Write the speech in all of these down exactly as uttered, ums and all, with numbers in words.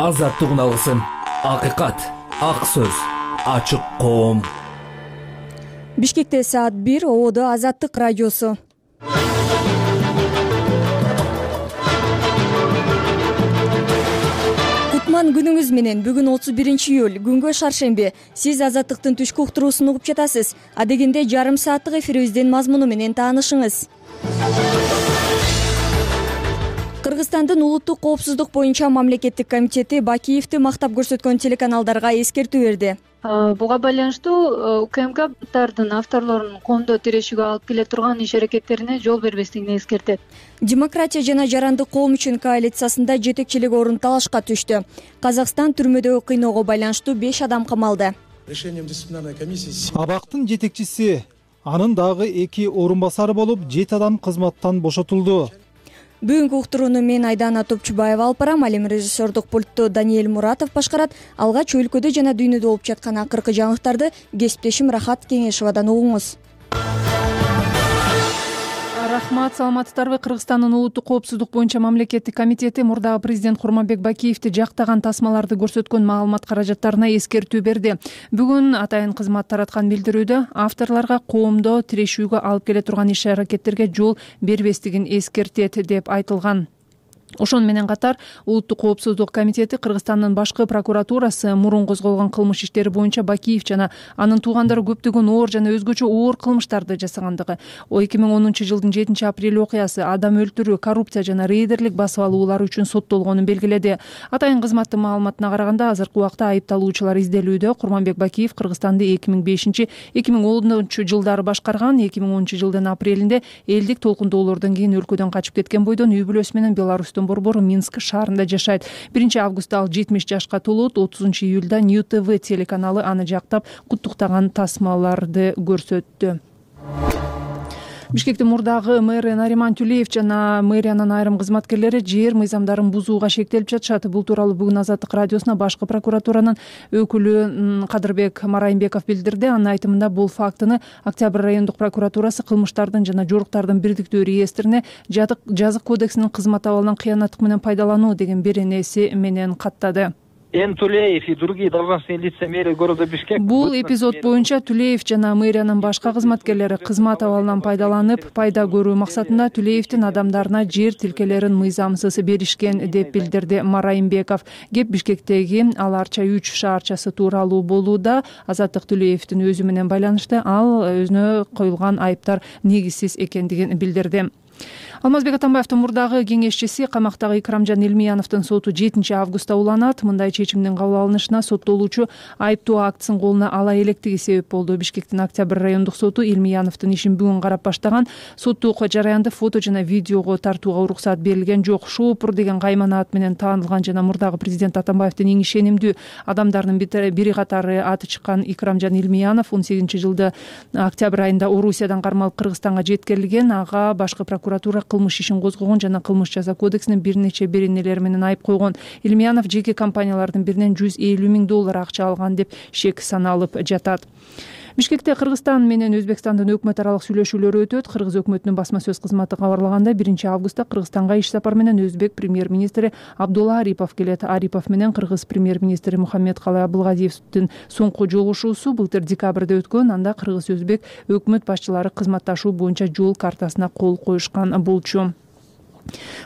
азаттык уналысын, акыйкат, ак сөз, ачык коом. Бишкекте саат бир, Ободо Азаттык радиосу. Кутман күнүңүз менен. Бүгүн отуз биринчи июль, күнгө шаршемби. Сиз Азаттыктын түшкү уктуруусун угуп жатасыз. Адегенде жарым сааттык эфирибиздин мазмуну менен таанышыңыз. Кыргызстандын улуттук коопсуздук боюнча мамлекеттик комитети Бакиевди мактап көрсөткөн телеканалдарга эскертүү берди. Буга байланыштуу УКМКдардын авторлорунун коомдо тирешүүгө алып келе турган иш-аракеттерине жол бербестигин эскертет. Демократия жана жарандык коом үчүн коалициясында жетекчилик орун талашка түштү. Казакстан түрмөдөгү кыйноого байланыштуу беш адам камалды. Решением дисциплинарной комиссии Абактын жетекчиси, анын дагы эки орун басары болуп, жети адам кызматтан бошотулду. Бүгүнкү уктурууну мен Айдана Топчубаева алып барам. Ал эми режиссердук пультту Даниэль Муратов башкарат. Алгач өлкөдө жана дүйнөдө болуп жаткан акыркы жаңылыктарды кесиптешим Рахат Кеңешовадан угуңуз. Рахмат, саламатсыздарбы? Кыргызстандын улуттук коопсуздук боюнча мамлекеттик комитети мурдагы президент Курманбек Бакиевди жактаган тасмаларды көрсөткөн маалымат каражаттарына эскертүү берди. Бүгүн атайын кызмат тараткан билдирүүдө авторлорго коомдо тирешүүгө алып келе турган иш-аракеттерге жол бербестигин эскертет деп айтылган. Ошону менен катар улуттук коопсуздук комитети Кыргызстандын башкы прокуратурасы мурун козголгон кылмыш иштери боюнча Бакиев жана анын туугандары көптөгөн оор жана өзгөчө оор кылмыштарды жасагандыгы, эки миң онунчу жылдын жетинчи апрель окуясы, адам өлтүрүү, коррупция жана рейдерлик басып алуулар үчүн соттолгонун белгиледи. Атайын кызматтын маалыматына караганда, азыркы убакта айыпталуучулар изделүүдө. Курманбек Бакиев Кыргызстанды эки миң бешинчи — эки миң онунчу жылдары башкарган. эки миң онунчу жылдын апрелинде элдик толкундоолордон кийин өлкөдөн качып кеткен бойдон үй бүлөсү менен Беларустун борбору Минск шаарында жашайт. биринчи августта ал жетимиш жашка толот. отузунчу июлда Нью ТВ телеканалы аны жактап куттуктаган тасмаларды көрсөттү. Бишкектин мурдагы мэры Нариман Тюлеев жана мэриянын айрым кызматкерлери жер мыйзамдарын бузууга шектелип жатышат. Бул тууралуу бүгүн Азаттык радиосуна башкы прокуратуранын өкүлү Кадырбек Марайымбеков билдирди. Анын айтымында, бул фактыны Октябрь райондук прокуратурасы кылмыштардын жана жоруктардын бирдиктүү реестрине жазык кодексинин кызмат абалынан кыянаттык менен пайдалануу деген беренеси менен каттады. Н. Тулеев и другие должностные лица мэрии города Бишкек. Бул эпизод боюнча Тулеев жана мэриянын башка кызматкерлери кызмат абалынан пайдаланып, пайда көрүү максатында Тулеевдин адамдарына жер тилкелерин мыйзамсыз беришкен деп билдирди Марайымбеков. Кеп Бишкектеги Ал Арча үч шаарчасы тууралуу болууда. Азаттык Тулеевдин өзү менен байланышты. Ал өзүнө коюлган айыптар негизсиз экендигин билдирди. Алмазбек Атамбаевдин мурдагы кеңешчиси камактагы Икрамжан Илмияновдун соту жетинчи августта уланат. Мындай чечимдин кабыл алынышына соттолуучу айыптоо актысын колуна ала электиги себеп болду. Бишкектин Октябрь райондук соту Илмияновдун ишин бүгүн карап баштаган. Соттук жараянды фото жана видеого тартууга уруксат берилген жок. Шоопур деген каймана ат менен таанылган жана мурдагы президент Атамбаевдин эң ишенимдүү адамдарынын бири катары аты чыккан Икрамжан Илмиянов он сегизинчи жылды октябрь айында Орусиядан кармалып Кыргызстанга жеткирилген. Ага башкы прокуратура кылмыш ишин козгогон жана кылмыш жаза кодексинин бир нече беренелери менен айып койгон. Илмиянов жеке компаниялардын биринен жүз элүү миң доллар акча алган деп шек саналып жатат. Бишкекте Кыргызстан менен Өзбекстандын өкмөт аралык сүйлөшүүлөрү өтөт. Кыргыз өкмөтүнүн басма сөз кызматы кабарлагандай, биринчи августта Кыргызстанга иш сапар менен өзбек премьер-министри Абдулла Арипов келет. Арипов менен кыргыз премьер-министри Мухаммедкалый Абылгазиевдин соңку жолугушуусу былтыр декабрда өткөн. Анда кыргыз-өзбек өкмөт башчылары кызматташуу боюнча жол картасына кол коюшкан болчу.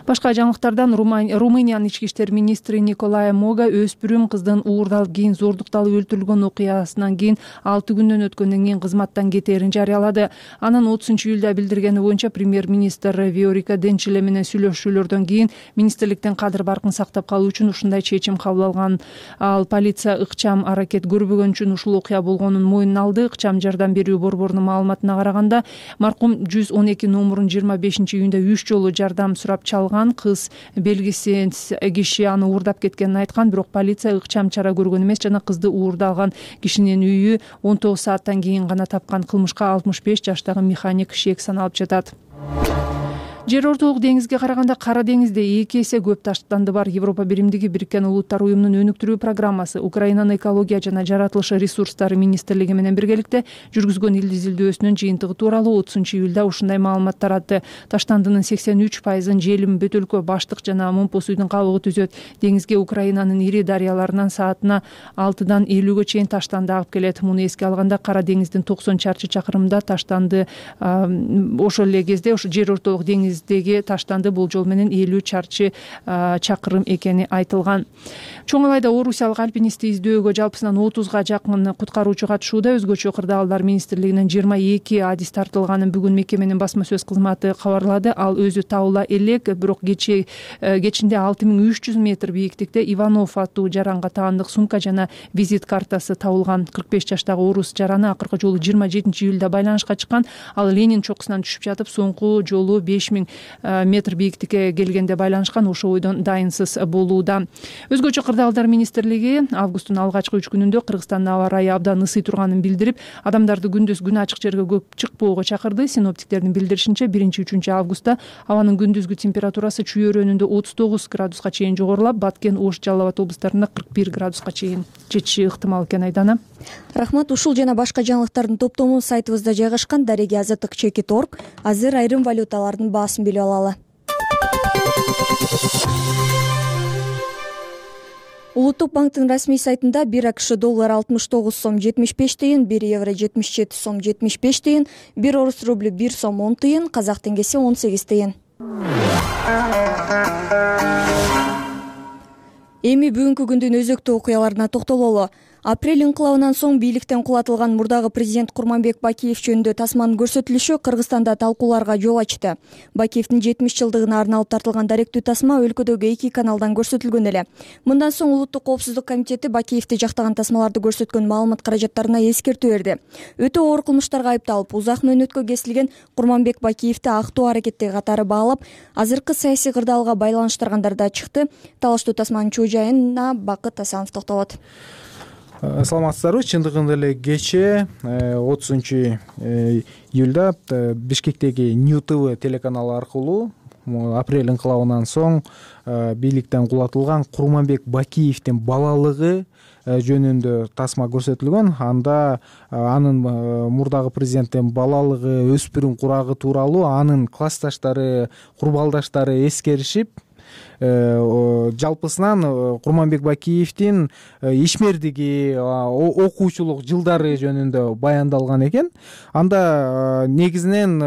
Башка жаңылыктардан Румыниянын ички иштер министри Николай Мога өспүрүм кыздын уурдалып кийин зордукталып өлтүрүлгөн окуясынан кийин алты күндөн өткөндөн кийин кызматтан кетээрин жарыялады. Анын отузунчу июлда билдиргени боюнча премьер-министр Виорика Денчиле менен сүйлөшүүлөрдөн кийин министрликтин кадыр баркын сактап калуу үчүн ушундай чечим кабыл алган. Ал полиция ыкчам аракет көрбөгөн үчүн ушул окуя болгонун мойнуна алды. Ыкчам жардам берүү борборунун маалыматына караганда, маркум жүз он эки номурун жыйырма бешинчи июнда үч жолу жардам сурап чалган. Кыз белгисиз киши аны уурдап кеткенин айткан, бирок полиция ыкчам чара көргөн эмес жана кызды уурдалган кишинин үйү он тогуз сааттан кийин гана тапкан. Кылмышка алтымыш беш жаштагы механик шек саналып жатат. Жер ортолук деңизге караганда Кара деңизде эки эсе көп таштанды бар. Европа биримдиги Бириккен Улуттар уюмунун өнүктүрүү программасы Украинанын экология жана жаратылыш ресурстары министрлиги менен биргеликте жүргүзгөн ил изилдөөсүнүн жыйынтыгы тууралуу отузунчу июлда ушундай маалымат таратты. Таштандынын сексен үч пайызын Желим, Бөтөлкө, Баштык жана Момпо суйдун кабыгы түзөт. Деңизге Украинанын ири дарыяларынан саатына алтыдан элүүгө чейин таштанды агып келет. Муну эске алганда Кара деңиздин токсон чарчы чакырымда таштанды. Ошол эле кезде ошо жер ортолук деңиздеги таштанды болжол менен элүү чарчы чакырым экени айтылган. Чоң Алайда орусиялык альпинистти издөөгө жалпысынан отузга жакын куткаруучу катышууда. Өзгөчө кырдаалдар министрлигинин жыйырма эки адис тартылганын бүгүн мекеменин басма сөз кызматы кабарлады. Ал өзү табыла элек, бирок кече кечинде алты миң үч жүз метр бийиктикте Иванов аттуу жаранга таандык сумка жана визит картасы табылган. кырк беш жаштагы орус жараны акыркы жолу жыйырма жетинчи июлда байланышка чыккан. Ал Ленин чокусунан түшүп жатып, соңку жолу беш миң метр бийиктикке келгенде байланышкан. Ошол бойдон дайынсыз болууда. Өзгөчө кырдаалдар министрлиги августтун алгачкы үч күнүндө Кыргызстандын аба ырайы абдан ысый турганын билдирип, адамдарды күндүз күн ачык жерге көп чыкпоого чакырды. Синоптиктердин билдиришинче, биринчи үчүнчү августта абанын күндүзгү температурасы Чүй өрөөнүндө отуз тогуз градуска чейин жогорулап, Баткен, Ош, Жалал Абад облустарында кырк бир градуска чейин жетиши ыктымал экен. Айдана. Рахмат. Ушул жана башка жаңылыктардын топтому сайтыбызда жайгашкан дареги азаттык чекит точка орг. Азыр айрым валюталардын баасын билип алалы. Улуттук банктын расмий сайтында бир АКШ доллар алтымыш тогуз сом жетимиш беш тыйын, бир евро жетимиш жети сом жетимиш беш тыйын, бир орус рубль бир сом он тыйын, казак теңгеси он сегиз тыйын. Эми бүгүнкү күндүн өзөктүү окуяларына токтололу. Апрель инкылабынан соң бийликтен кулатылган мурдагы президент Курманбек Бакиев жөнүндө тасманын көрсөтүлүшү Кыргызстанда талкууларга жол ачты. Бакиевдин жетимиш жылдыгына арналып тартылган даректүү тасма өлкөдөгү эки каналдан көрсөтүлгөн эле. Мындан соң Улуттук коопсуздук комитети Бакиевди жактаган тасмаларды көрсөткөн маалымат каражаттарына эскертүү берди. Өтө оор кылмыштарга айыпталып, узак мөөнөткө кесилген Курманбек Бакиевди актуу аракеттеги катары баалап, азыркы саясий кырдаалга байланыштыргандар да чыкты. Талаштуу тасманын чоо жайына Бакыт Асанов токтолот. Саламатсыздарбы. Чындыгында эле кече отузунчу июлда Бишкектеги Нью ТВ телеканалы аркылуу апрель инкылабынан соң бийликтен кулатылган Курманбек Бакиевдин балалыгы жөнүндө тасма көрсөтүлгөн. Анда анын мурдагы президенттин балалыгы, өспүрүм курагы тууралуу анын классташтары, курбалдаштары эскеришип, жалпысынан Курманбек Бакиевдин ишмердиги, окуучулук жылдары жөнүндө баяндалган экен. Анда негизинен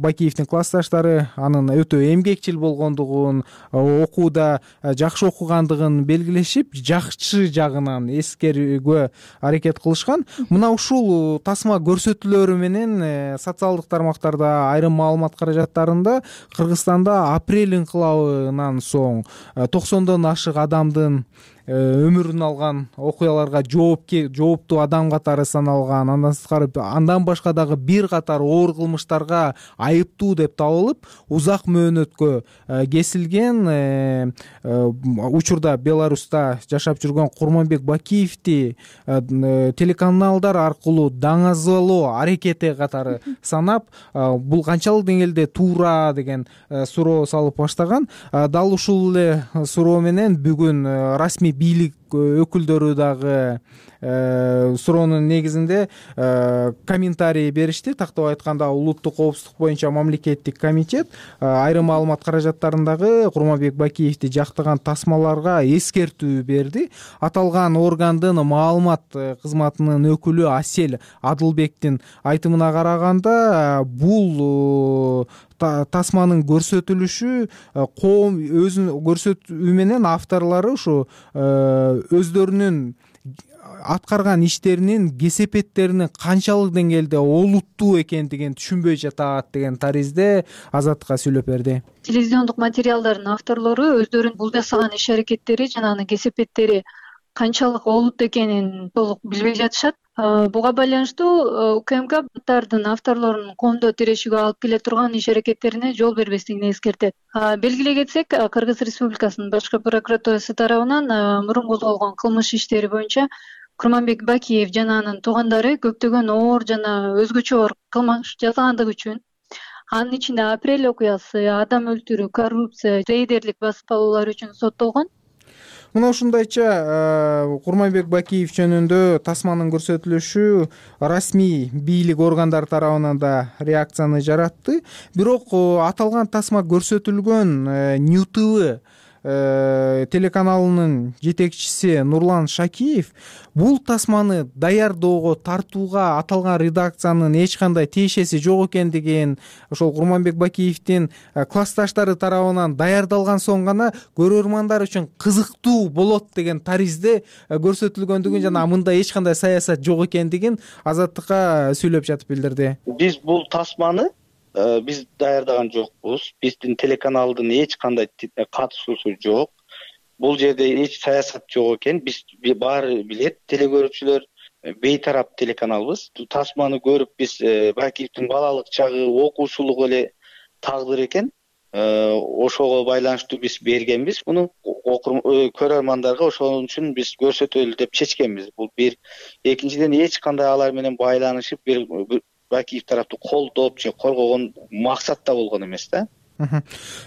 Бакиевдин классташтары анын өтө эмгекчил болгондугун, окууда жакшы окугандыгын белгилешип, жакшы жагынан эскерүүгө аракет кылышкан. Мына ушул тасма көрсөтүүлөрү менен социалдык тармактарда айрым маалымат каражаттарында Кыргызстанда апрель инкылабынан соң токсондон ашык адамдын өмүрүн алган окуяларга жооптуу адам катары саналган. Андан сырткары андан башка дагы бир катар оор кылмыштарга айыптуу деп табылып, узак мөөнөткө кесилген. Учурда Беларуста жашап жүргөн Курманбек Бакиевди телеканалдар аркылуу даңазалоо аракети катары санап, бул канчалык деңгээлде туура деген суроо салып баштаган. Дал ушул эле суроо менен бүгүн расмий бийлик өкүлдөрү дагы суроонун негизинде комментарий беришти. Тактап айтканда, улуттук коопсуздук боюнча мамлекеттик комитет айрым маалымат каражаттарындагы Курманбек Бакиевди жактаган тасмаларга эскертүү берди. Аталган органдын маалымат кызматынын өкүлү Асель Адылбектин айтымына караганда, бул тасманын көрсөтүлүшү коом өзүнүн көрсөтүү менен авторлору ушу өздөрүнүн аткарган иштеринин кесепеттеринин канчалык деңгээлде олуттуу экендигин түшүнбөй жатат деген таризде Азаттыкка сүйлөп берди. Телевизиондук материалдардын авторлору өздөрүнүн бул жасаган иш аракеттери жана анын кесепеттери канчалык олуттуу экенин толук билбей жатышат. Буга байланыштуу УКМКдардын авторлорунун коомдо тирешүүгө алып келе турган иш аракеттерине жол бербестигине эскертет. Белгилей кетсек, Кыргыз Республикасынын башкы прокуратурасы тарабынан мурун козголгон кылмыш иштери боюнча Курманбек Бакиев жана анын туугандары көптөгөн оор жана өзгөчө оор кылмыш жасагандыгы үчүн анын ичинде апрель окуясы, адам өлтүрүү, коррупция, рейдерлик басып алуулар үчүн соттолгон. Мына ушундайча Курманбек Бакиев жөнүндө тасманын көрсөтүлүшү расмий бийлик органдар тарабынан да реакцияны жаратты. Бирок аталган тасма көрсөтүлгөн Нью Т В телеканалынын жетекчиси Нурлан Шакиев бул тасманы даярдоого, тартууга аталган редакциянын эч кандай тиешеси жок экендигин, ошол Курманбек Бакиевдин классташтары тарабынан даярдалган соң гана көрөрмандар үчүн кызыктуу болот деген таризде көрсөтүлгөндүгүн жана мында эч кандай саясат жок экендигин Азаттыкка сүйлөп жатып билдирди. Биз бул тасманы биз даярдаган жокпуз. Биздин телеканалдын эч кандай катышуусу жок. Бул жерде эч саясат жок экен. Биз баары билет, телекөрүүчүлөр бейтарап телеканалбыз. Тасманы көрүп биз Бакиевдин балалык чагы, окуучулугу эле тагдыр экен. Ошого байланыштуу биз бергенбиз. Муну көрөрмандарга ошон үчүн биз көрсөтөлү деп чечкенбиз. Бул бир. Экинчиден эч кандай алар менен байланышып бир Бакиев тарапты колдоп же коргогон максатта болгон эмес да.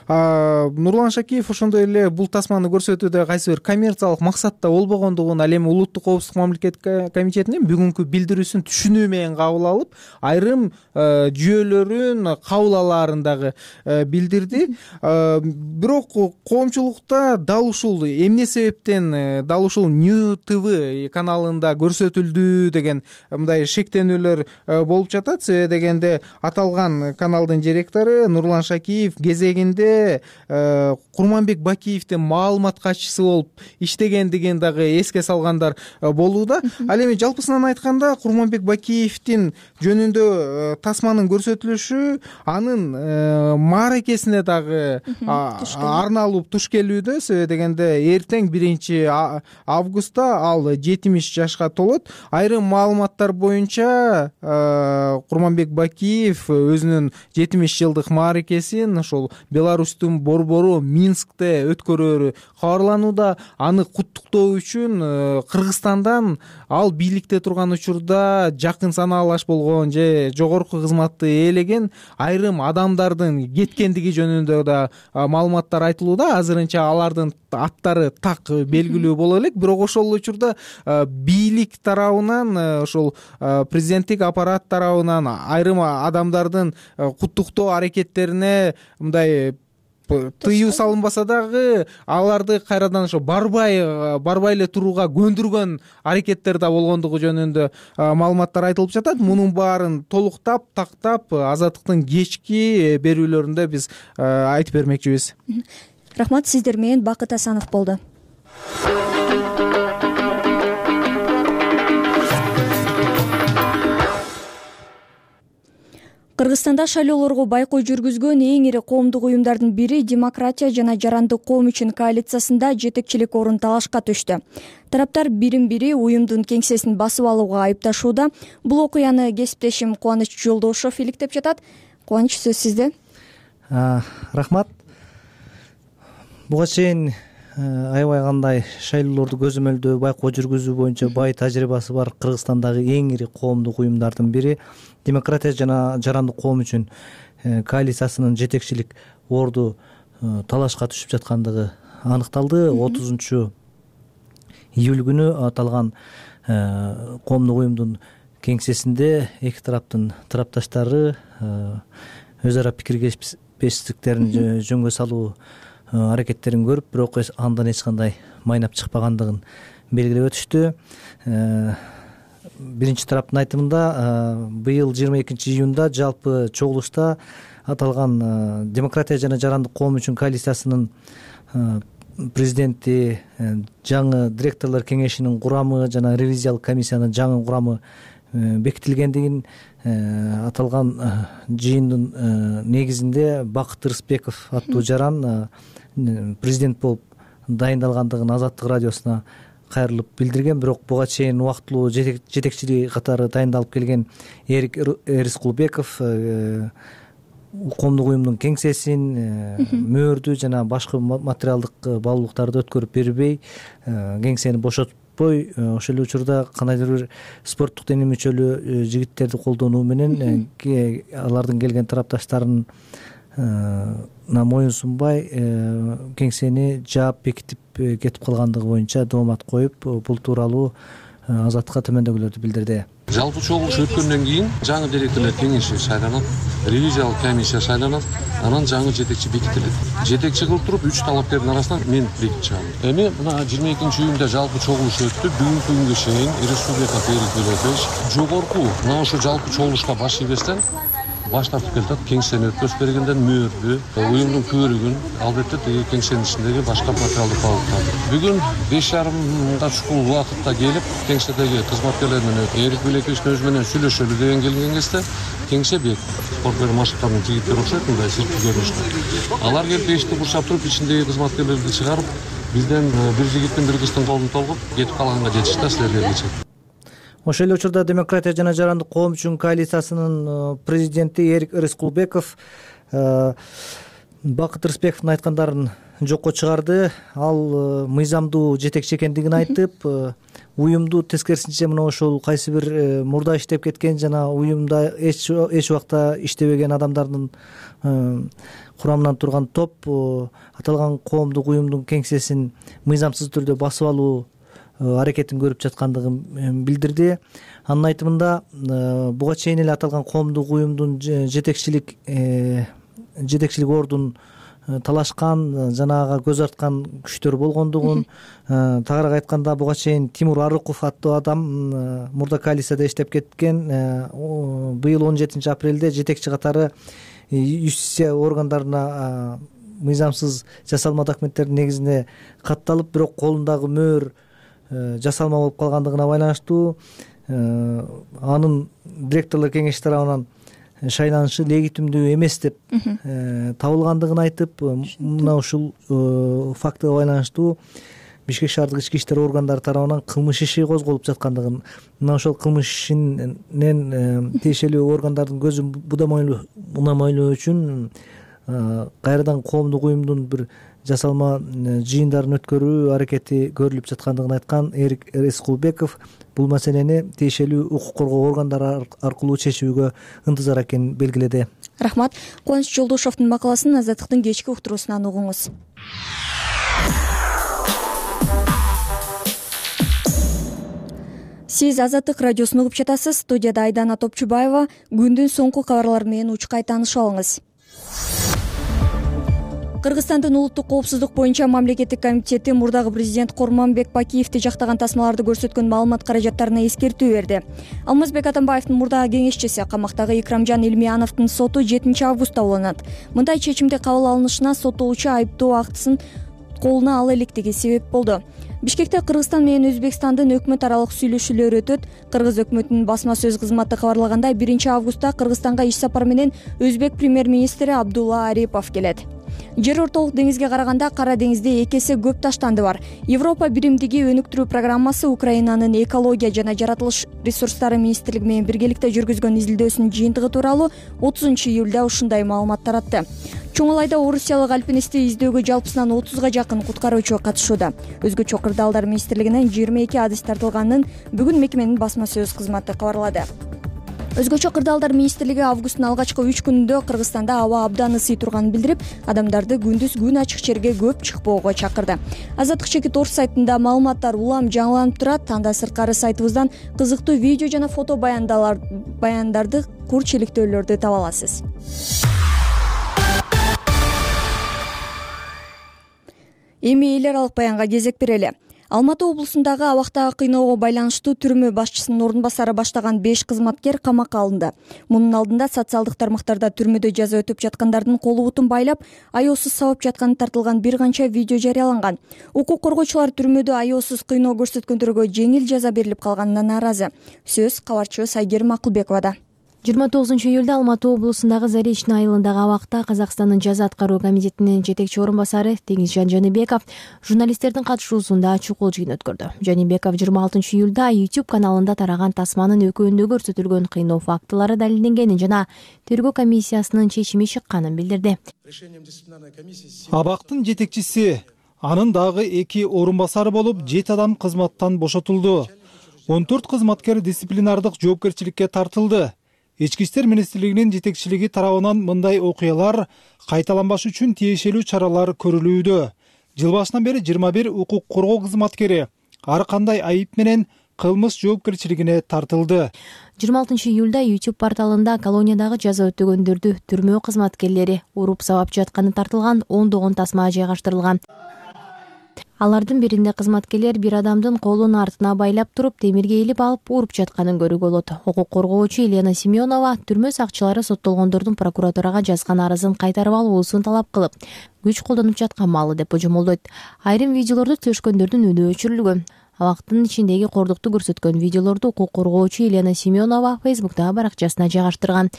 Нурлан Шакиев ошондой эле бул тасманы көрсөтүүдө кайсы бир коммерциялык максатта болбогондугун, ал эми Улуттук коопсуздук мамлекеттик комитетинин бүгүнкү билдирүүсүн түшүнүү менен кабыл алып, айрым жүйөлөрүн кабыл алаарын дагы билдирди. Бирок коомчулукта дал ушул эмне себептен дал ушул Нью Т В каналында көрсөтүлдү деген мындай шектенүүлөр болуп жатат. Себеби дегенде аталган каналдын директору Нурлан Шакиев кезегинде Курманбек Бакиевдин маалымат катчысы болуп иштегендигин дагы эске салгандар болууда. Ал эми жалпысынан айтканда Курманбек Бакиевдин жөнүндө тасманын көрсөтүлүшү анын мааракесине дагы арналып туш келүүдө. Себеби дегенде эртең биринчи августта ал жетимиш жашка толот. Айрым маалыматтар боюнча Курманбек Бакиев өзүнүн жетимиш жылдык мааракесин ошол Беларустун борбору Минскте өткөрөөрү кабарланууда. Аны куттуктоо үчүн Кыргызстандан ал бийликте турган учурда жакын санаалаш болгон же жогорку кызматты ээлеген айрым адамдардын кеткендиги жөнүндө да маалыматтар айтылууда. Азырынча алардын аттары так белгилүү боло элек, бирок ошол учурда бийлик тарабынан, ошол президенттик аппарат тарабынан айрым адамдардын куттуктоо аракеттерине мындай тыюу салынбаса дагы аларды кайрадан ошо барбай барбай эле турууга көндүргөн аракеттер да болгондугу жөнүндө маалыматтар айтылып жатат. Мунун баарын толуктап, тактап Азаттыктын кечки берүүлөрүндө биз айтып бермекчибиз. Рахмат, сиздер менен Бакыт Асанов болду. Кыргызстанда шайлоолорго байкоо жүргүзгөн эң ири коомдук уюмдардын бири Демократия жана Жарандык коом үчүн коалициясында жетекчилик орун талашка түштү. Тараптар бирин-бири уюмдун кеңсесин басып алууга айыпташууда. Бул окуяны кесиптешим Кубаныч Жолдошов иликтеп жатат. Кубаныч, сөз сизде. Рахмат. Буга чейин аябай кандай шайлоолорду көзөмөлдөө, байкоо жүргүзүү боюнча бай тажрыйбасы бар Кыргызстандагы эң ири коомдук уюмдардын бири Демократия жана Жарандык коом үчүн коалициясынын жетекчилик орду талашка түшүп жаткандыгы аныкталды. отузунчу июль күнү аталган коомдук уюмдун кеңсесинде эки тараптын тарапташтары өз ара пикиргешпестиктерин жөнгө салуу аракеттерин көрүп, бирок андан эч кандай майнап чыкпагандыгын белгилеп өтүштү. Биринчи тараптын айтымында быйыл жыйырма экинчи июнда жалпы чогулушта аталган Демократия жана Жарандык коом үчүн коалициясынын президенти, жаңы директорлор кеңешинин курамы жана ревизиялык комиссиянын жаңы курамы бекитилгендигин, аталган жыйындын негизинде Бакыт Рыспеков аттуу жаран президент болуп дайындалгандыгын Азаттык радиосуна кайрылып билдирген. Бирок буга чейин убактылуу жетекчилиги катары дайындалып келген Эрик Рыскулбеков коомдук уюмдун кеңсесин, мөөрдү жана башка материалдык баалуулуктарды өткөрүп бербей, кеңсени бошотуп жатпой ошол эле учурда кандайдыр бир спорттук дене мүчөлүү жигиттерди колдонуу менен алардын келген тарапташтарын моюн сунбай кеңсени жаап бекитип кетип калгандыгы боюнча доомат коюп бул тууралуу Азаттыкка төмөндөгүлөрдү билдирди. Жалпы чогулуш өткөндөн кийин жаңы директорлор кеңеши шайланат, ревизиялык комиссия шайланат, анан жаңы жетекчи бекитилет. Жетекчи кылып туруп үч талапкердин арасынан мен бекитип чыгам. Эми мына жыйырма экинчи июнда жалпы чогулуш өттү. Бүгүнкү күнгө чейин республика Эрик Белетович жогорку мына ошо жалпы чогулушка баш ийбестен баш тартып келатат. Кеңсени өткөзүп бергенден мөөрдү, уюмдун көрүгүн, албетте тиги кеңсенин ичиндеги башка материалдык калыптарды. Бүгүн беш жарымга чукул убакытта келип, кеңседеги кызматкерлер менен Эрик Белетовичтин өзү менен сүйлөшөлү деген келген кезде кеңсе бек спорт машыктардын жигиттери окшойт, мындай сырткы көрүнүштө. Алар келип эшикти курчап туруп, ичиндеги кызматкерлерди чыгарып, бизден бир жигиттин бир кыздын колун толгоп кетип калганга жетишти, силерге келчек. Ошол эле учурда Демократия жана жарандык коом үчүн коалициясынын президенти Эрик Рыскулбеков Бакыт Рысбековдун айткандарын жокко чыгарды. Ал мыйзамдуу жетекчи экендигин айтып, уюмду тескерисинче мына ошол кайсы бир мурда иштеп кеткен жана уюмда эч эч убакта иштебеген адамдардын курамынан турган топ аталган коомдук уюмдун кеңсесин мыйзамсыз түрдө басып алуу аракетин көрүп жаткандыгын билдирди. Анын айтымында буга чейин эле аталган коомдук уюмдун жетекчилик жетекчилик ордун талашкан жана ага көз арткан күчтөр болгондугун, тагыраак айтканда буга чейин Тимур Арыков аттуу адам мурда коалицияда иштеп кеткен. Быйыл он жетинчи апрелде жетекчи катары юстиция органдарына мыйзамсыз жасалма документтердин негизинде катталып, бирок колундагы мөөр жасалма болуп калгандыгына байланыштуу анын директорлор кеңеши тарабынан шайланышы легитимдүү эмес деп табылгандыгын айтып, мына ушул фактыга байланыштуу Бишкек шаардык ички иштер органдары тарабынан кылмыш иши козголуп жаткандыгын, мына ошол кылмыш ишинен тиешелүү органдардын көзүн унамайлоо үчүн кайрадан коомдук уюмдун бир жасалма жыйындарын өткөрүү аракети көрүлүп жаткандыгын айткан Эрик Рыскулбеков бул маселени тиешелүү укук коргоо органдары аркылуу чечүүгө ынтызар экенин белгиледи. Рахмат. Кубаныч Жолдошовдун макаласын Азаттыктын кечки уктуруусунан угуңуз. Сиз Азаттык радиосун угуп жатасыз. Студияда Айдана Топчубаева. Күндүн соңку кабарлары менен учкай таанышып алыңыз. Кыргызстандын улуттук коопсуздук боюнча мамлекеттик комитети мурдагы президент Курманбек Бакиевди жактаган тасмаларды көрсөткөн маалымат каражаттарына эскертүү берди. Алмазбек Атамбаевдин мурдагы кеңешчиси камактагы Икрамжан Илмияновдун соту жетинчи августта уланат. Мындай чечимди кабыл алынышына соттолуучу айыптоо актысын колуна ала электиги себеп болду. Бишкекте Кыргызстан менен Өзбекстандын өкмөт аралык сүйлөшүүлөрү өтөт. Кыргыз өкмөтүнүн басма сөз кызматы кабарлагандай, биринчи августта Кыргызстанга иш сапар менен Өзбек премьер-министри Абдулла Арипов келет. Жер ортолук деңизге караганда Кара деңизде эки эсе көп таштанды бар. Европа биримдиги өнүктүрүү программасы Украинанын экология жана жаратылыш ресурстары министрлиги менен биргеликте жүргүзгөн изилдөөсүнүн жыйынтыгы тууралуу отузунчу июлда ушундай маалымат таратты. Чоңалайда орусиялык альпинистти издөөгө жалпысынан отузга жакын куткаруучу катышууда. Өзгөчө кырдаалдар министрлигинен жыйырма эки адыс тартылганын бүгүн мекеменин басма сөз кызматы кабарлады. Өзгөчө кырдаалдар министрлиги августтун алгачкы үч күнүндө Кыргызстанда аба абдан ысый турганын билдирип, адамдарды күндүз күн ачык жерге көп чыкпоого чакырды. Азаттык чекит орус сайтында маалыматтар улам жаңыланып турат. Анда сырткары сайтыбыздан кызыктуу видео жана фото баяндарды, кур чиликтөөлөрдү таба аласыз. Эми эл аралык баянга кезек берели. Алматы облусундагы абактагы кыйноого байланыштуу түрмө башчысынын орун басары баштаган беш кызматкер камакка алынды. Мунун алдында социалдык тармактарда түрмөдө жаза өтүп жаткандардын колу бутун байлап, аеосуз сабап жатканы тартылган бир канча видео жарыяланган. Укук коргоочулар түрмөдө аеосуз кыйноо көрсөткөндөргө жеңил жаза берилип калганына нааразы. Сөз кабарчыбыз Айгерим Акылбековада. жыйырма тогузунчу июлда Алматы облусундагы Заречный айылындагы абакта Казакстандын жаза аткаруу комитетинин жетекчи орун басары Теңизжан Жаныбеков журналисттердин катышуусунда чукул жыйын өткөрдү. Жаныбеков жыйырма алтынчы июлда YouTube каналында тараган тасманын экөөндө көрсөтүлгөн кыйноо фактылары далилденгенин жана тергөө комиссиясынын чечими чыкканын билдирди. Абактын жетекчиси анын дагы эки орун басары болуп жети адам кызматтан бошотулду. он төрт кызматкер дисциплинардык жоопкерчиликке тартылды. Ички иштер министрлигинин жетекчилиги тарабынан мындай окуялар кайталанбаш үчүн тиешелүү чаралар көрүлүүдө. Жыл башынан бери жыйырма бир укук коргоо кызматкери ар кандай айып менен кылмыш жоопкерчилигине тартылды. жыйырма алтынчы июлда YouTube порталында колониядагы жаза өтөгөндөрдү түрмөө кызматкерлери уруп сабап жатканы тартылган ондогон тасма жайгаштырылган. Алардын биринде кызматкерлер бир адамдын колун артына байлап туруп, темирге илип алып уруп жатканын көрүүгө болот. Укук коргоочу Елена Семенова түрмө сакчылары соттолгондордун прокуратурага жазган арызын кайтарып алуусун талап кылып, күч колдонуп жаткан маалы деп божомолдойт. Айрым видеолорду түзөшкөндөрдүн үнү өчүрүлгөн. Абактын ичиндеги кордукту көрсөткөн видеолорду укук коргоочу Елена Семенова Facebook'тагы баракчасына жайгаштырган.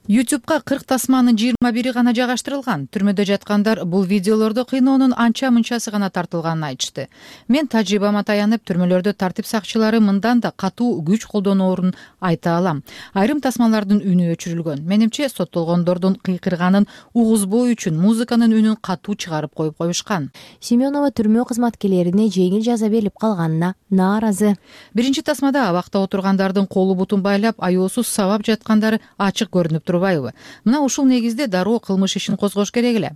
YouTube'га кырк тасманын жыйырма бири гана жайгаштырылган. Түрмөдө жаткандар бул видеолорду кыйноонун анча-мынчасы гана тартылганын айтышты. Мен тажрыйбама таянып, түрмөлөрдө тартип сакчылары мындан да катуу күч колдоноорун айта алам. Айрым тасмалардын үнү өчүрүлгөн. Менимче соттолгондордун кыйкырганын угузбоо үчүн музыканын үнүн катуу чыгарып коюп коюшкан. Семенова түрмө кызматкерлерине жеңил жаза берилип калганына нааразы. Биринчи тасмада абакта отургандардын колу бутун байлап, аяосуз сабап жаткандары ачык көрүнүп турбайбы? Мына ушул негизде дароо кылмыш ишин козгош керек эле.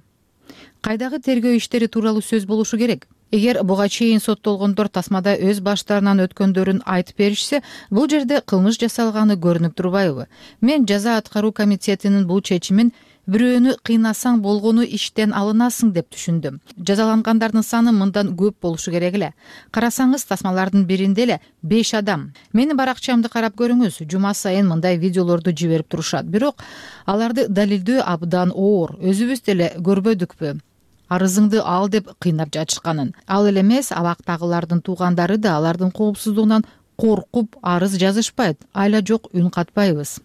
Кайдагы тергөө иштери тууралуу сөз болушу керек. Эгер буга чейин соттолгондор тасмада өз баштарынан өткөндөрүн айтып беришсе, бул жерде кылмыш жасалганы көрүнүп турбайбы? Мен жаза аткаруу комитетинин бул чечимин бирөөнү кыйнасаң болгону иштен алынасың деп түшүндүм. Жазалангандардын саны мындан көп болушу керек эле. Карасаңыз, тасмалардын биринде эле беш адам. Менин баракчамды карап көрүңүз, жума сайын мындай видеолорду жиберип турушат. Бирок аларды далилдөө абдан оор. Өзүбүз деле көрбөдүкпү? Арызыңды ал деп кыйнап жатышканын. Ал эле эмес, абактагылардын туугандары да алардын коопсуздугунан коркуп арыз жазышпайт. Айла жок үн катпайбыз.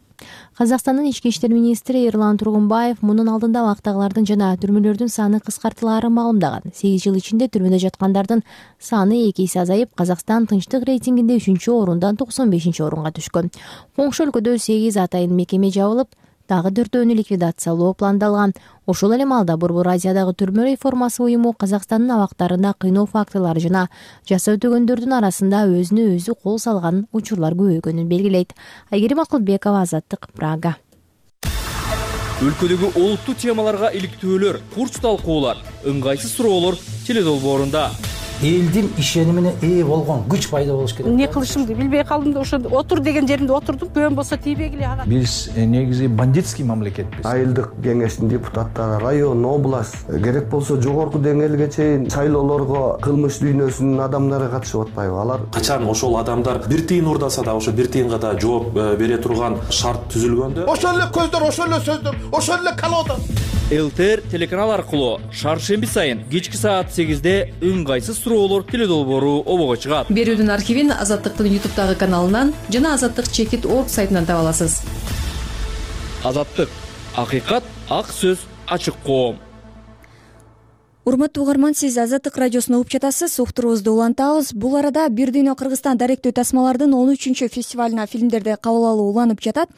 Казакстандын ички иштер министри Эрлан Тургунбаев мунун алдында абактагылардын жана түрмөлөрдүн саны кыскартылаарын маалымдаган. сегиз жыл ичинде түрмөдө жаткандардын саны эки эсе азайып, Казакстан тынчтык рейтингинде үчүнчү орундан токсон бешинчи орунга түшкөн. Коңшу өлкөдө сегиз атайын мекеме жабылып, дагы төртөөнү ликвидациялоо пландалган. Ошол эле маалда Борбор Азиядагы түрмө реформасы уюму Казакстандын абактарында кыйноо фактылары жана жаза өтөгөндөрдүн арасында өзүнө өзү кол салган учурлар көбөйгөнүн белгилейт. Айгерим Акылбекова, Азаттык, Прага. Өлкөдөгү олуттуу темаларга иликтөөлөр, курч талкуулар, ыңгайсыз суроолор теледолбоорунда. Элдин ишенимине ээ болгон күч пайда болуш керек. Не кылышымды билбей калдым да ошо отур деген жеримде отурдум. Көбөн болсо тийбегиле ага. Биз негизи бандитский мамлекетпиз. Айылдык кеңештин депутаттары, район, область, керек болсо жогорку деңгээлге чейин шайлоолорго кылмыш дүйнөсүнүн адамдары катышып атпайбы? Алар качан ошол адамдар бир тыйын урдаса да ошо бир тыйынга да жооп бере турган шарт түзүлгөндө, ошол эле көздөр, ошол эле сөздөр, ошол эле колода. ЛТР телеканал аркылуу шаршемби сайын кечки саат сегизде ыңгайсыз суроолор теледолбоору обого чыгат. Берүүдүн архивин Азаттыктын ютубтагы каналынан жана Азаттык чекит орг сайтынан таба аласыз. Азаттык, акыйкат, ак сөз, ачык коом. Урматтуу угарман, сиз Азаттык радиосуна угуп жатасыз. Уктуруубузду улантабыз. Бул арада Бир дүйнө Кыргызстан даректүү тасмалардын он үчүнчү фестивалына фильмдерди кабыл алуу уланып жатат.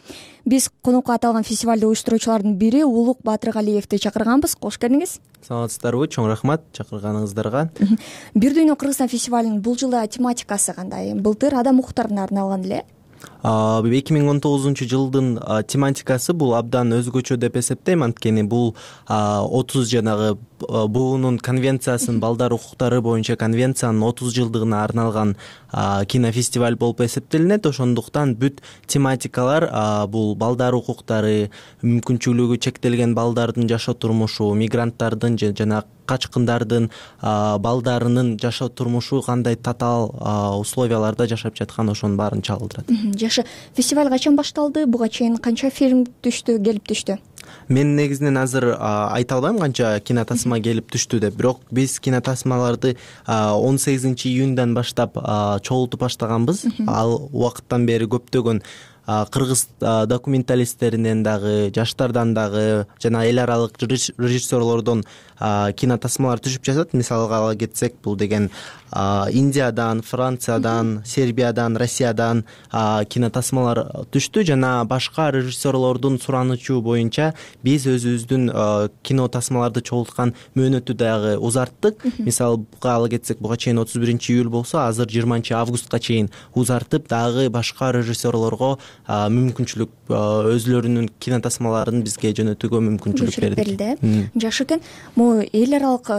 Биз конокко аталган фестивалды уюштуруучулардын бири Улук Батыргалиевди чакырганбыз. Кош келиңиз. Саламатсыздарбы? Чоң рахмат чакырганыңыздарга. Бир дүйнө Кыргызстан фестивалынын бул жылы тематикасы кандай? Былтыр адам укуктарына арналган эле. эки миң он тогузунчу жылдын тематикасы бул абдан өзгөчө деп эсептейм, анткени бул отуз жанагы буунун конвенциясынын, балдар укуктары боюнча конвенциянын отуз жылдыгына арналган кинофестиваль болуп эсептелинет. Ошондуктан бүт тематикалар бул балдар укуктары, мүмкүнчүлүгү чектелген балдардын жашоо турмушу, мигранттардын жана качкындардын балдарынын жашоо турмушу кандай татаал условияларда жашап жаткан, ошонун баарын чагылдырат. Жакшы. Фестиваль качан башталды? Буга чейин канча фильм түштү, келип түштү? Мен негизинен азыр айта албайм канча кинотасма келип түштү деп. Бирок биз кинотасмаларды он сегизинчи июндан баштап чогултуп баштаганбыз. Ал убакыттан бери көптөгөн кыргыз документалисттеринен дагы, жаштардан дагы жана эл аралык режиссерлордон кинотасмалар түшүп жатат. Мисалга ала кетсек, бул деген Индиядан, Франциядан, Сербиядан, Россиядан кинотасмалар түштү жана башка режиссерлордун суранычу боюнча биз өзүбүздүн кинотасмаларды чогулткан мөөнөтү дагы узарттык. Мисалга ала кетсек, буга чейин отуз биринчи июль болсо, азыр жыйырманчы августка чейин узартып, дагы башка режиссерлорго мүмкүнчүлүк өзүлөрүнүн кинотасмаларын бизге жөнөтүүгө мүмкүнчүлүк берди. Жакшы экен. Могу эл аралык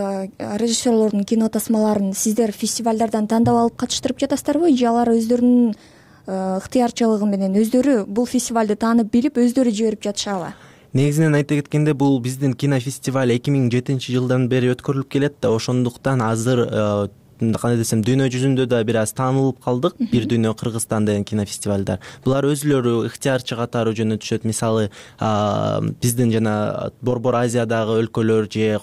режиссерлордун кинотасмаларын сиздер фестивалдардан тандап алып катыштырып жатасыздарбы, же алар өздөрүнүн ыктыярчылыгы менен өздөрү бул фестивалды таанып билип өздөрү жиберип жатышабы? Негизинен айта кеткенде, бул биздин кинофестиваль эки миң жетинчи жылдан бери өткөрүлүп келет да, ошондуктан азыр кандай десем, дүйнө жүзүндө да бир аз таанылып калдык. Бир дүйнө Кыргызстан деген кинофестивалдар. Булар өзүлөрү ыктыярчы катары жөнөтүшөт. Мисалы, биздин жана Борбор Азиядагы өлкөлөр же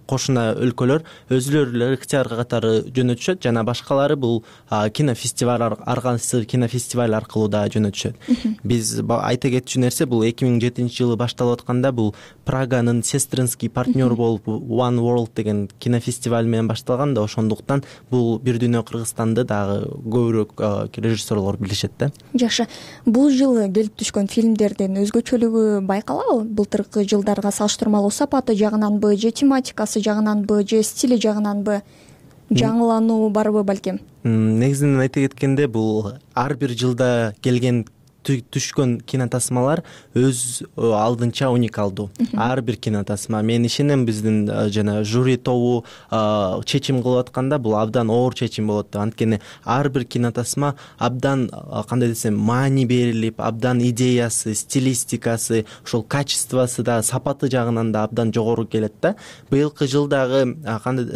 кошуна өлкөлөр өзүлөрү эле ыктыяр катары жөнөтүшөт, жана башкалары бул кинофестиваль, аргансыз кинофестиваль аркылуу да жөнөтүшөт. Биз айта кетчү нерсе, бул эки миң жетинчи жылы башталып атканда, бул Праганын сестринский партнер болуп One World деген кинофестиваль менен башталган да, ошондуктан бул бир дүйнө Кыргызстанды дагы көбүрөөк режиссерлор билишет да. Жакшы. Бул жылы келип түшкөн фильмдердин өзгөчөлүгү байкалабы? Былтыркы жылдарга салыштырмалуу сапаты жагынанбы, же тематикасы жагынанбы, же стили жагынанбы? Жаңылануу барбы балким? Негизинен айта кеткенде, бул ар бир жылда келген түшкөн кинотасмалар өз алдынча уникалдуу. Ар бир кинотасма, мен ишенем, биздин жана жюри тобу чечим кылып атканда бул абдан оор чечим болот. Анткени ар бир кинотасма абдан, кандай десем, маани берилип, абдан идеясы, стилистикасы, ошол качествосы да, сапаты жагынан да абдан жогору келет да. Быйылкы жылдагы кандай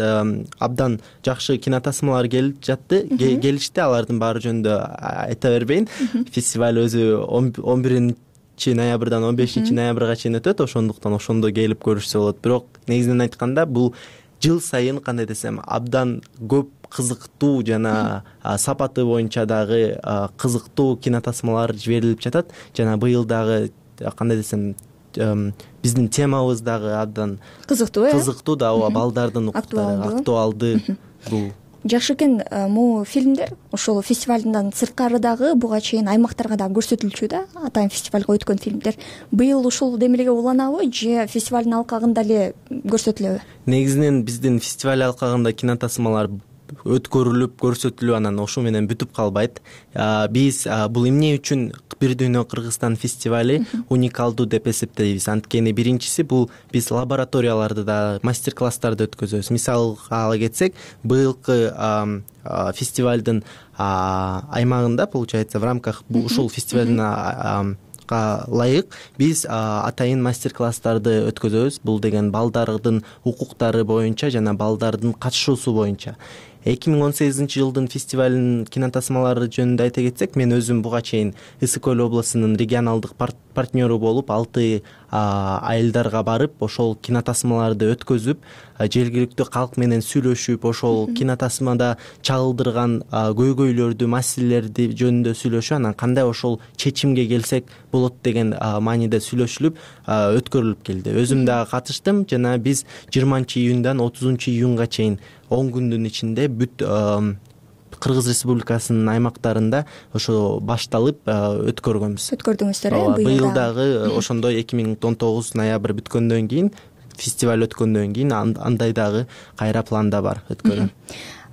абдан жакшы кинотасмалар келип жатты, келишти. Алардын баары жөнүндө айта бербейин. Фестиваль өзү он биринчи ноябрдан он бешинчи ноябрга чейин өтөт, ошондуктан ошондо келип көрүшсө болот. Бирок негизинен айтканда, бул жыл сайын, кандай десем, абдан көп кызыктуу жана сапаты боюнча дагы кызыктуу кинотасмалар жиберилип жатат. Жана быйыл дагы, кандай десем, биздин темабыз дагы абдан кызыктуу, э? Кызыктуу да, ооба, балдардын укуктары актуалдуу. Бул жакшы экен. Могу фильмдер ошол фестивалдан сырткары дагы буга чейин аймактарга дагы көрсөтүлчү да, атайын фестивалга өткөн фильмдер. Быйыл ушул демелге уланабы, же фестивалдын алкагында эле көрсөтүлөбү? Негизинен биздин фестиваль алкагында кинотасмалар өткөрүлүп, көрсөтүлүп, анан ошо менен бүтүп калбайт. Биз бул эмне үчүн бир дүйнө Кыргызстан фестивали уникалдуу деп эсептейбиз? Анткени биринчиси, бул биз лабораторияларды да, мастер-класстарды өткөзөбүз. Мисалга ала кетсек, быйылкы фестивалдын аймагында, получается, в рамках ушул фестивалдын ылайык биз атайын мастер-класстарды өткөзөбүз. Бул деген балдардын укуктары боюнча жана балдардын катышуусу боюнча. эки миң он сегизинчи жылдын фестивалынын кинотасмалары жөнүндө айта кетсек, мен өзүм буга чейин Ысык Көл облусунун регионалдык партнеру болуп, алты айылдарга барып, ошол кинотасмаларды өткөзүп, жергиликтүү калк менен сүйлөшүп, ошол кинотасмада чагылдырган көйгөйлөрдү, маселелерди жөнүндө сүйлөшүп, анан кандай ошол чечимге келсек болот деген мааниде сүйлөшүлүп өткөрүлүп келди. Өзүм дагы катыштым, жана биз жыйырманчы июндан отузунчу июнга чейин он күндүн ичинде бүт Кыргыз Республикасынын аймактарында ошо башталып өткөргөнбүз. Өткөрдүңүздөр, э? Быйыл дагы ошондой эки миң он тогуз ноябрь бүткөндөн кийин, фестиваль өткөндөн кийин андай дагы кайра планда бар өткөрүү.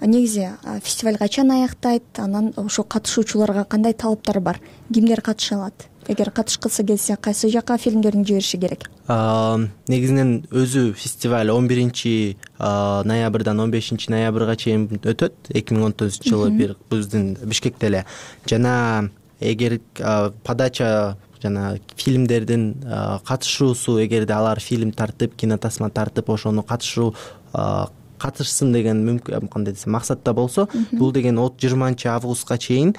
Негизи фестиваль качан аяктайт? Анан ошо катышуучуларга кандай талаптар бар? Кимдер катыша алат? Эгер катышкысы келсе, кайсы жака фильмдерин жибериши керек? Негизинен өзү фестиваль он биринчи ноябрдан он бешинчи ноябрга чейин өтөт. эки миң он тогузунчу жылы бир биздин Бишкекте эле. Жана эгер подача жана фильмдердин катышуусу, эгерде алар фильм тартып, кинотасма тартып, ошону катышуу катышсын деген мүмкүн, кандай десем, максатта болсо, бул деген жыйырманчы августка чейин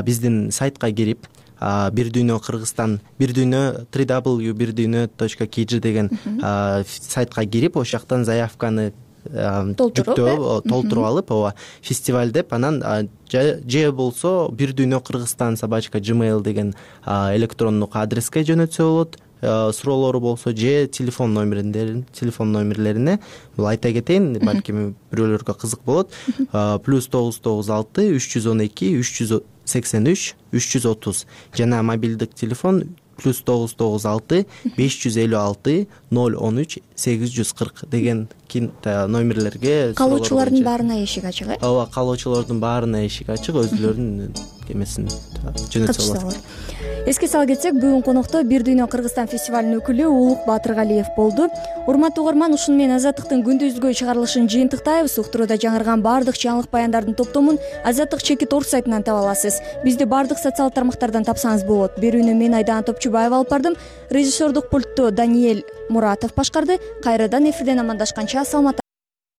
биздин сайтка кирип, бир дүйнө Кыргызстан, бир дүйнө три дабл ю бир дүйнө точка кей жи деген сайтка кирип, ошол жактан заявканы толтуруп алып, ооба, фестиваль деп, анан же болсо бир дүйнө Кыргызстан собачка джимейл деген электрондук адреске жөнөтсө болот. суроолору болсо же телефон номерлерин телефон номерлерине бул айта кетейин, балким бирөөлөргө кызык болот. плюс тогуз тогуз алты үч жүз он эки үч жүз сексен үч үч жүз отуз жана мобилдик телефон плюс тогуз тогуз алты беш жүз элүү алты ноль он үч сегиз жүз кырк деген номерлерге калуучулардын баарына эшик ачык э ооба, калуучулардын баарына эшик ачык, өзүлөрүнүн эмесин жөнөтсө болот. Эске сала кетсек, бүгүн конокто Бир дүйнө Кыргызстан фестивалынын өкүлү Улук Батыргалиев болду. Урматтуу угарман, ушуну менен Азаттыктын күндүзгү чыгарылышын жыйынтыктайбыз. Уктурууда жаңырган баардык жаңылык баяндардын топтомун Азаттык чекит орг сайтынан таба аласыз. Бизди баардык социалдык тармактардан тапсаңыз болот. Берүүнү мен Айдана Топчубаева алып бардым. Режиссердук пультту Даниэль Муратов башкарды. Кайрадан эфирден амандашканча саламатта